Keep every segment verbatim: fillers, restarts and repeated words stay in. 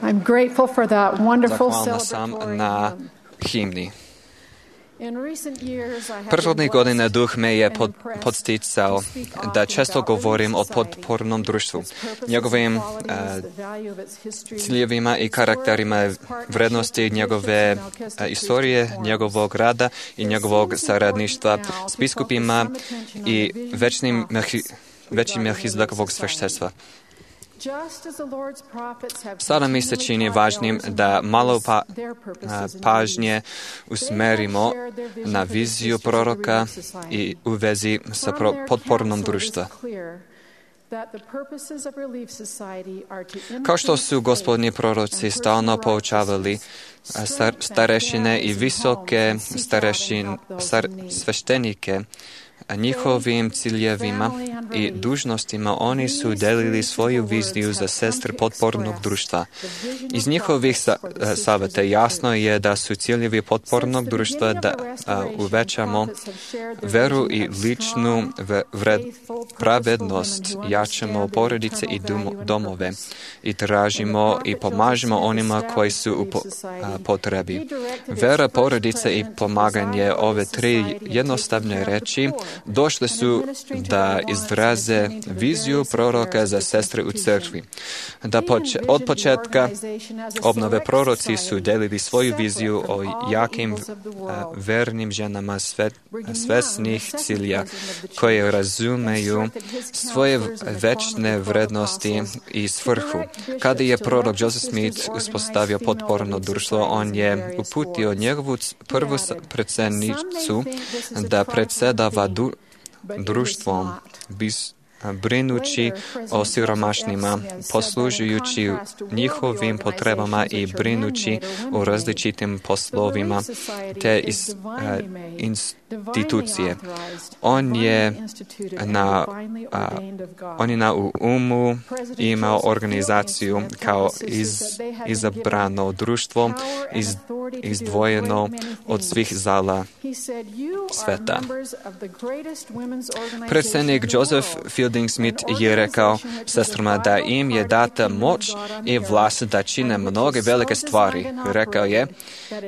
I'm grateful for that wonderful Zahvalna sam celebratory na hymn. himni. In recent years, I have been Prethodnih godina blessed duh me je and pod, impressed podsticao to speak da often često about govorim o Relief Society, potpornom društvu, its purposes njegovim and qualities, uh, the value of its history, ciljevima i its karakterima, work, its partnership vrednosti with njegove bishops and uh, Melchizedek istorije, priesthood njegovog quorums. rada i It njegovog seems saradništva important now s to biskupima focus some attention on i the vision večnim of melhi, prophets većim regarding melhizdekovog Relief sveštenstva. Just as the Lord's prophets have Sada mi se continually čini taught važnim elders and da malo pa, prophets their purposes a, and pažnje duties. usmerimo They have shared their vision na for the viziju sisters of the proroka Relief Society. i u vezi sa From pro, their potpornom counsel, it društva. is clear that the purposes of Relief Society are to Kao što increase su gospodnji faith proroci and stalno personal poučavali righteousness, a, star, strengthen starešine i families and visoke homes, and seek out and starešin, help those star, in need. sveštenike, a njihovim ciljevima i dužnostima oni su delili svoju viziju za sestre potpornog društva. Iz njihovih sa, saveta jasno je da su ciljevi potpornog društva da a, uvećamo veru i ličnu vred, pravednost, jačamo porodice i dom, domove i tražimo i pomažemo onima koji su u po, a, potrebi. Vera, porodice i pomaganje, ove tri jednostavne reči, došle su da izraze viziju proroka za sestre u crkvi. Da poče, od početka obnove proroci su delili svoju viziju o jakim uh, vernim ženama sve, svesnih cilja koje razumeju svoje večne vrednosti i svrhu. Kada je prorok Joseph Smith uspostavio potporno društvo, on je uputio njegovu prvu predsjednicu da predsedava du, društvom, bis, brinući o siromašnima, poslužujući njihovim potrebama i brinući o različitim poslovima te iz, uh, institucije. On je na, uh, on je na umu imao organizaciju kao iz, izabrano društvo iz, izdvojeno od svih zala sveta. Predsjednik Joseph Fielding Smith je rekao sestrama da im je data moć i vlast da čine mnoge velike stvari. Rekao je,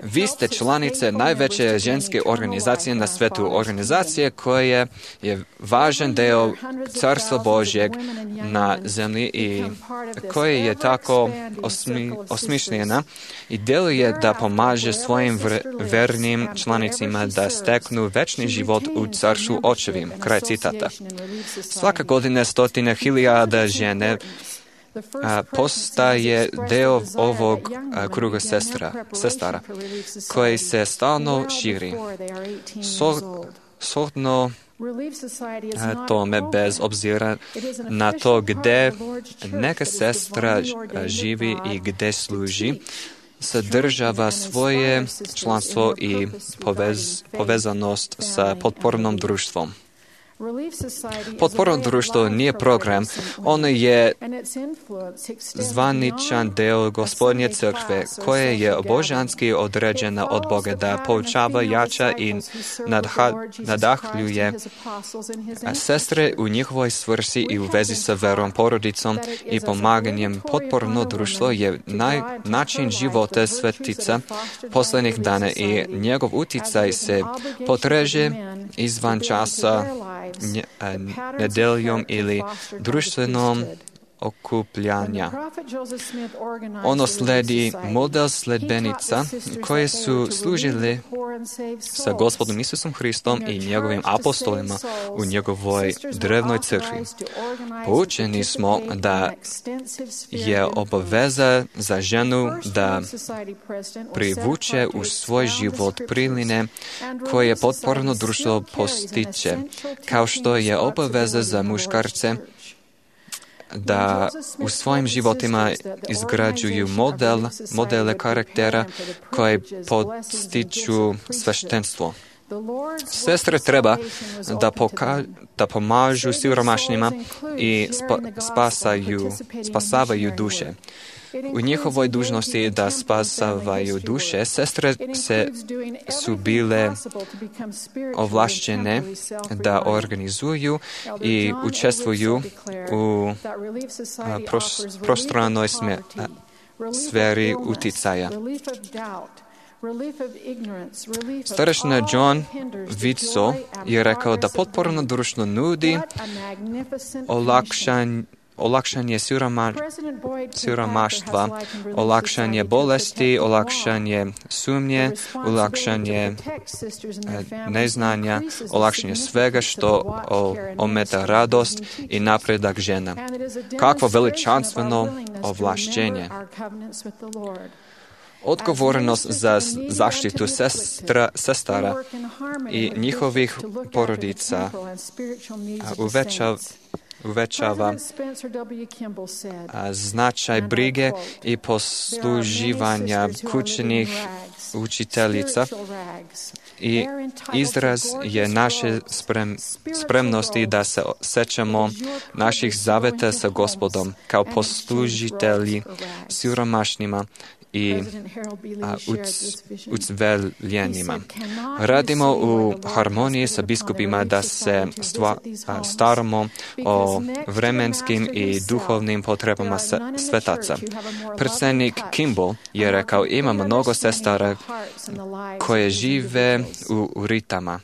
vi ste članice najveće ženske organizacije na svetu, organizacije koja je važan deo Carstva Božjeg na zemlji i koja je tako osmi, osmišljena i deluje da pomaže svojim vr, vernim članicima da steknu večni život u Carstvu Očevim. Kraj citata. Svaka godina stotine hiljada žene a, postaje deo ovog a, kruga sestra, sestara koji se stalno širi. So, shodno tome, bez obzira na to gde neka sestra živi i gde služi, sadržava svoje članstvo i povez, povezanost sa potpornom društvom. Potporno društvo nije program, ono je zvaničan deo Gospodnje crkve, koje je božanski određena od Boga da poučava, jača i nadha, nadahljuje sestre u njihovoj svrsi i u vezi sa verom, porodicom i pomaganjem. Potporno društvo je naj, način života svetica poslednjih dana i njegov uticaj se potreže izvan časa, nedeljom ili društvenom okupljanja. Ono sledi model sledbenica koje su služile sa Gospodom Isusom Hristom i njegovim apostolima u njegovoj drevnoj crkvi. Poučeni smo da je obaveza za ženu da privuče u svoj život priline koje potporno društvo postiče, kao što je obaveza za muškarce da u svojim životima izgrađuju model, modele karaktera koje podstiču sveštenstvo. Sestre treba da, poka, da pomažu siromašnima i spa, spasaju, spasavaju duše. U njihovoj dužnosti da spasavaju duše, sestre se su bile ovlašćene da organizuju i učestvuju u prostranoj sferi uticaja. Starešina John Vitso je rekao da potporno društvo nudi olakšanje olakšanje siroma, siromaštva, olakšanje bolesti, olakšanje sumnje, olakšanje neznanja, olakšanje svega što ometa radost i napredak žena. Kakvo veličanstveno ovlašćenje. Odgovornost za zaštitu sestra, sestara i njihovih porodica uvećava uvećava značaj brige i posluživanja kućnih učiteljica i izraz je naše sprem, spremnosti da se sećamo naših zaveta sa Gospodom kao poslužitelji siromašnima i ucveljenima. Radimo u harmoniji sa biskupima da se stva, a, staramo o vremenskim i duhovnim potrebama svetaca. Predsjednik Kimball je rekao, ima mnogo sestara koje žive u, u ritama,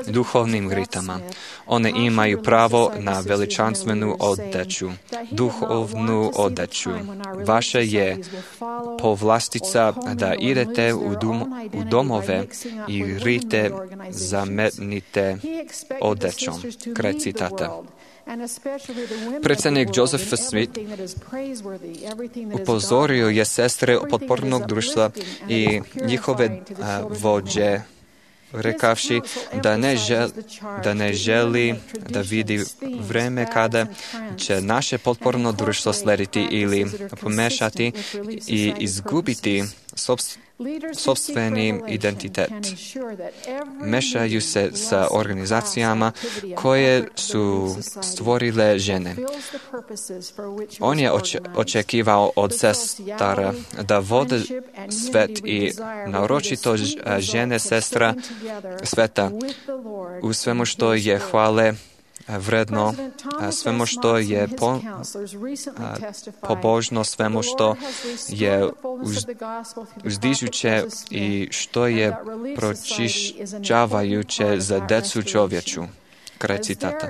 duhovnim ritama. One imaju pravo na veličanstvenu odeću, duhovnu odeću. Vaše je povlastica da idete u, dum, u domove i rite zamenite odećom. Kraj citata. Predsjednik Joseph Smith upozorio je sestre potpornog društva i njihove a, vođe rekavši da ne, žel, da ne želi da vidi vreme kada će naše potporno društvo slediti ili pomešati i izgubiti sopstveni identitet. Mešaju se sa organizacijama koje su stvorile žene. On je oče, očekivao od sestara da vode svet i naročito žene sestra sveta u svemu što je hvale vredno, svemu što je po, pobožno, svemu što je uz, uzdižuće i što je pročišćavajuće za decu čovječu. Kraj citata.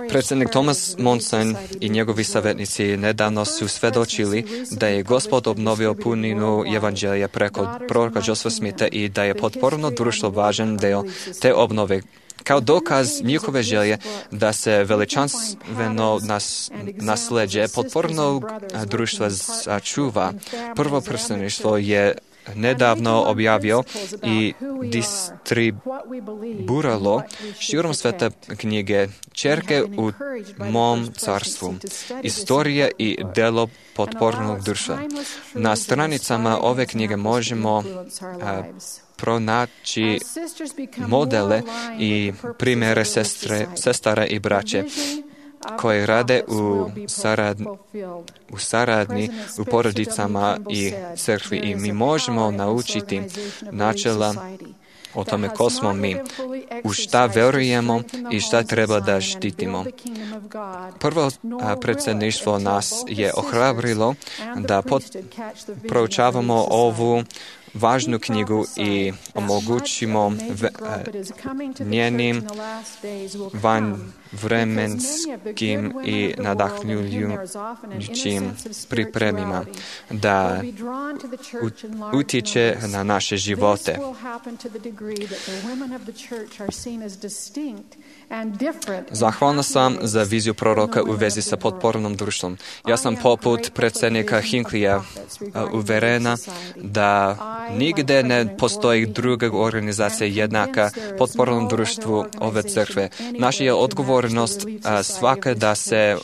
Predsjednik Thomas Monson i njegovi savjetnici nedavno su svedočili da je Gospod obnovio puninu evanđelja preko proroka Josepha Smitha i da je potporno društvo važan deo te obnove. Kao dokaz njihove želje da se veličanstveno nas, nasleđe potpornog društva sačuva. Prvo predstavništvo je nedavno objavio i distribuiralo širom sveta knjige Čerke u mom carstvu, istorija i delo potpornog društva. Na stranicama ove knjige možemo a, pronaći modele i primjere sestre, sestara i braće koje rade u, sarad, u saradnji, u porodicama i crkvi i mi možemo naučiti načela o tome ko smo mi, u šta verujemo i šta treba da štitimo. Prvo predsjedništvo nas je ohrabrilo da pod, proučavamo ovu važnu knjigu i omogućimo v, njenim vanvremenskim i nadahnjujućim pripremima da utječe na naše živote. Zahvalna sam za viziju proroka u vezi sa potpornom društvom. Ja sam poput predsjednika Hinckleyja uverena da nigde ne postoji druga organizacija jednaka potpornom društvu ove crkve. Naša je odgovornost svaka da se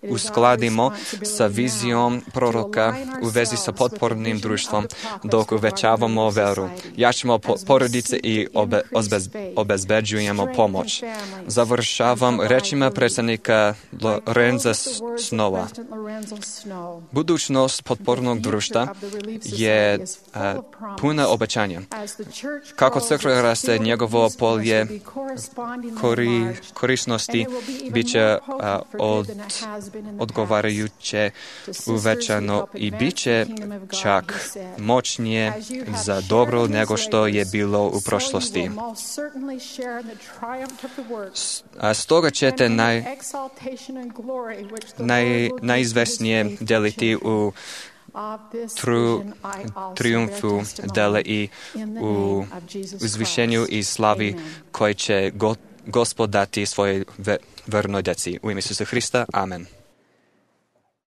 uskladimo sa vizijom proroka u vezi sa potpornim društvom dok uvećavamo veru. Jačamo porodice i obe, obez, obezbeđujemo pomoć. Završavam rečima predsjednika Lorenza Snowa. Budućnost potpornog društva je a, puna obećanja. Kako crkva raste, njegovo polje kori, korisnosti bit će od odgovarajuće uvećano i bit će čak moćnije za dobro nego što je bilo u prošlosti. A stoga ćete naj, naj, najizvesnije deliti u tru, triumfu dele i u uzvišenju i slavi koje će go, Gospod dati svojoj vernoj djeci. U ime Isusa Hrista. Amen.